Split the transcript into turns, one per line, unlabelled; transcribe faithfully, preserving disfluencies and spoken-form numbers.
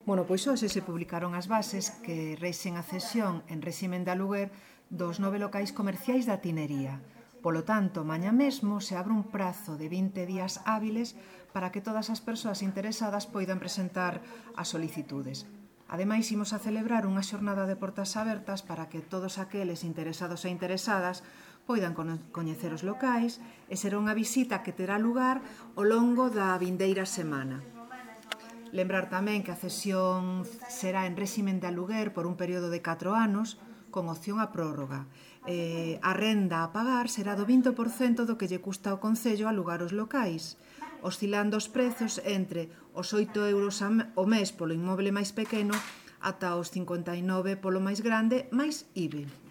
Bueno, pois hoxe se publicaron as bases que reixen a cesión en réximen de aluguer dos nove locais comerciais da Tinería. Polo tanto, mañá mesmo se abre un prazo de vinte días hábiles para que todas as persoas interesadas poidan presentar as solicitudes. Ademais, imos a celebrar unha xornada de portas abertas para que todos aqueles interesados e interesadas poidan coñecer os locais e será unha visita que terá lugar ao longo da vindeira semana. Lembrar tamén que a cesión será en réximen de aluguer por un período de catro anos, con opción a prórroga. Eh, a renda a pagar será do vinte por cento do que lle custa ao Concello alugar os locais, oscilando os prezos entre os oito euros ao mes polo inmoble máis pequeno ata os cincuenta e nove polo máis grande, máis I V A.